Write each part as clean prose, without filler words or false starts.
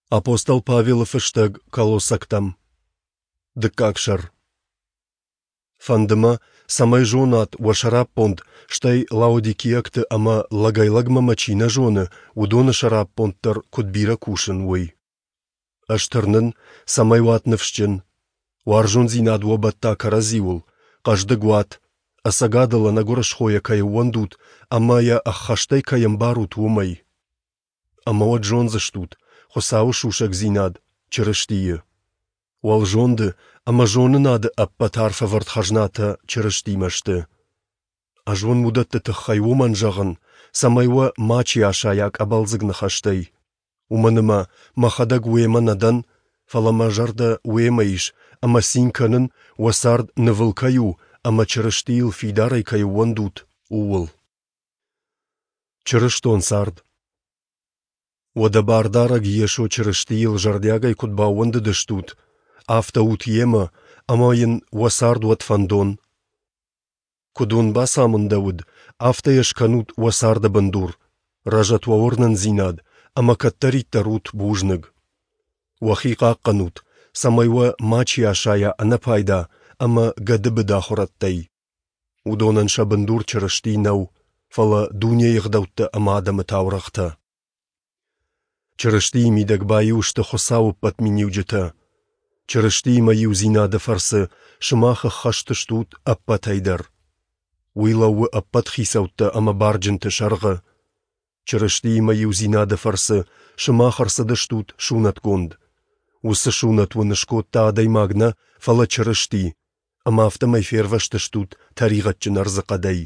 Апостол Павелы фыстӕг Колоссӕгтӕм. Дыккаг сӕр. Фӕнды мӕ, цӕмӕй зонат уӕ сӕраппонд, стӕй лаодикиӕгты ӕмӕ лӕгӕй-лӕгмӕ мӕ чи нӕ зоны, уыдоны сӕраппонд дӕр куыд бирӕ кусын, уый. Ӕз тырнын, цӕмӕй уат ныфсджын, уарзондзинад уӕ бӕтта кӕрӕдзиуыл, хъӕздыг уат, ӕцӕгадыл ӕнӕгуырысхойӕ кӕй ӕууӕндут ӕмӕ йӕ ӕххӕстӕй кӕй ӕмбарут, уымӕй. Ӕмӕ уӕд зондзыстут Хуыцауы сусӕгдзинад, Чырыстийы. Уӕлзонды ӕмӕ зонынады ӕппӕт арфӕвӕрд хӕзнатӕ Чырыстимӕ сты. Ӕз уын уыдӕтты тыххӕй уымӕн зӕгъын, цӕмӕй уӕ мачи асайа къӕбӕлдзыг ныхӕстӕй. Уымӕн ӕмӕ мӕхӕдӕг уемӕ нӕ дӕн, фӕлӕ мӕ зӕрдӕ уемӕ ис ӕмӕ цин кӕнын, уӕ цард нывыл кӕй у ӕмӕ Чырыстийыл фидарӕй кӕй ӕууӕндут, ууыл. Чырыстон цард. Уӕдӕ Бардарӕг Йесо Чырыстийыл зӕрдиагӕй куыд баууӕндыдыстут, афтӕ ут Йемӕ, ӕмӕ Йын уӕ цард уӕд фӕндон. Куыд уын бацамындӕуыд, афтӕ йӕ скӕнут уӕ царды бындур, рӕзӕт уӕ уырнындзинад ӕмӕ кӕддӕриддӕр ут бузныг. Уӕхи хъахъхъӕнут, цӕмӕй уӕ мачи асайа ӕнӕпайда ӕмӕ гӕдыбыд ахуырӕдтӕй. Уыдонӕн сӕ бындур Чырысти нӕу, фӕлӕ дунейы ӕгъдӕуттӕ ӕмӕ адӕмы таурӕгътӕ. Чырыстийы мидӕг баиу сты Хуыцауы ӕппӕт миниуджытӕ. Чырыстиимӕ иудзинады фӕрцы сымах ӕххӕст стут ӕппӕтӕй дӕр. Уый лӕууы ӕппӕт хицӕуттӕ ӕмӕ барджынты сӕргъы. Чырыстиимӕ иудзинады фӕрцы сымах ӕрцыдыстут сунӕтгонд. Уыцы сунӕт уын скодта адӕймаг нӕ, фӕлӕ Чырысти, ӕмӕ афтӕмӕй фервӕзтыстут тӕригъӕдджын ӕрдзыхъӕдӕй.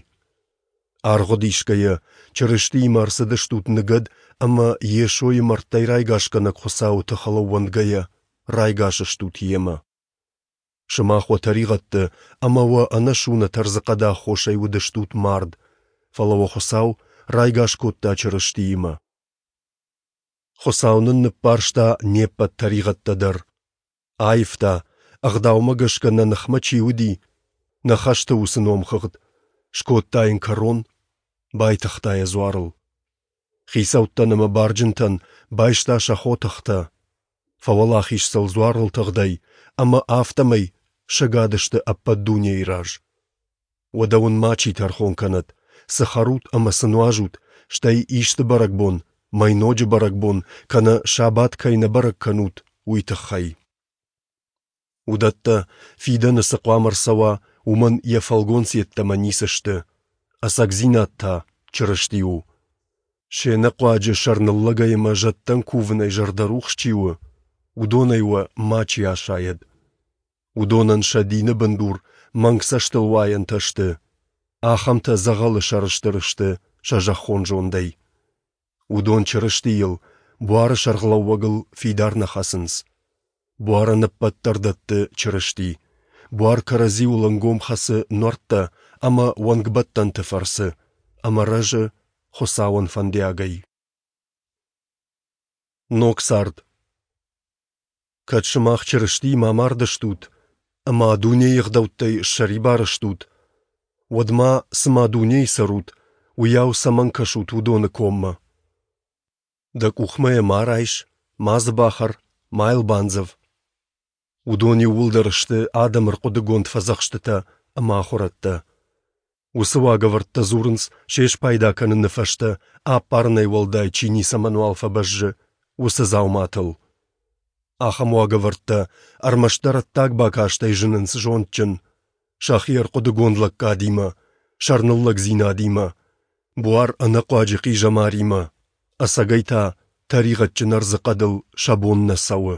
Аргъуыд исгӕйӕ, Чырыстиимӕ ӕрцыдыстут ныгӕд ӕмӕ Йесойы мӕрдтӕй райгасгӕнӕг Хуыцауы тыхыл ӕууӕндгӕйӕ, райгас стут Йемӕ. Сымах уӕ тӕригъӕдты ӕмӕ уӕ ӕнӕсунӕт ӕрдзыхъӕды аххосӕй уыдыстут мард, фӕлӕ уӕ Хуыцау райгас кодта Чырыстиимӕ. Хуыцау нын ныббарста не ппӕт тӕригъӕдтӕ дӕр. Аивта, ӕгъдаумӕ гӕсгӕ нӕ ныхмӕ чи уыди, нӕ хӕсты уыцы номхыгъд, скодта йын кӕрон, байтыгъта йӕ дзуарыл. Хицӕуттӕн ӕмӕ барджынтӕн байста сӕ хотыхтӕ, фӕуӕлахиз сыл дзуарыл тыгъдӕй ӕмӕ афтӕмӕй сӕгад сты ӕппӕт дунейы раз. Уӕдӕ уын мачи тӕрхон кӕнӕд, цы хӕрут ӕмӕ цы нуазут, стӕй исты бӕрӕгбон, мӕйноджы бӕрӕгбон кӕнӕ сабат кӕй нӕ бӕрӕг кӕнут, уый тыххӕй. Уыдӕттӕ, фидӕны цы хъуамӕ ӕрцӕуа, уымӕн йӕ фӕлгонц йеддӕмӕ ницы сты, ӕцӕгдзинад та Чырысти у. Се нӕхъуаджы сӕрныллӕгӕй ӕмӕ зӕдтӕн кувынӕй зӕрдӕрухс чи у, уыдонӕй уӕ мачи асайӕд. Уыдонӕн сӕ дины бындур мӕнг цӕстылуайӕнтӕ сты, ахӕмтӕ дзӕгъӕлы сӕрыстыр сты сӕ зӕххон зондӕй. Уыдон Чырыстийыл, буары сӕргълӕууӕгыл фидар нӕ хӕцынц. Буарӕн ӕппӕт дӕр дӕтты Чырысти. Буар кӕрӕдзиуыл ӕнгом хӕцы нуӕрттӕ ӕмӕ уӕнгбӕттӕнты фӕрцы ӕмӕ рӕзы Хуыцауӕн фӕндиагӕй. Ног цард. Кӕд сымах Чырыстиимӕ амардыстут ӕмӕ дунейы ӕгъдӕуттӕй ссӕрибар стут, уӕд ма, цыма дунейы цӕрут, уыйау цӕмӕн кӕсут уыдоны коммӕ? Дӕ къухмӕ йӕ ма райс, ма дзы бахӕр, ма йыл бандзӕв. Уыдон иууылдӕр сты адӕмы ӕрхъуыдыгонд фӕдзӕхстытӕ ӕмӕ ахуырӕдтӕ. Уыцы уагӕвӕрдтӕ дзурынц, се спайда кӕныны фӕстӕ аппарынӕй уӕлдай чи ницӕмӕнуал фӕбӕззы, уыцы дзауматыл. Ахӕм уагӕвӕрдтӕ ӕрмӕстдӕр ӕддаг бакастӕй зынынц зондджын, сӕхи ӕрхъуыдыгонд лӕггадимӕ, сӕрныллӕгдзинадимӕ, буар ӕнӕхъуаджы хъизӕмаримӕ, ӕцӕгӕй та тӕригъӕдджын ӕрдзыхъӕдыл сӕ бон нӕ цӕуы.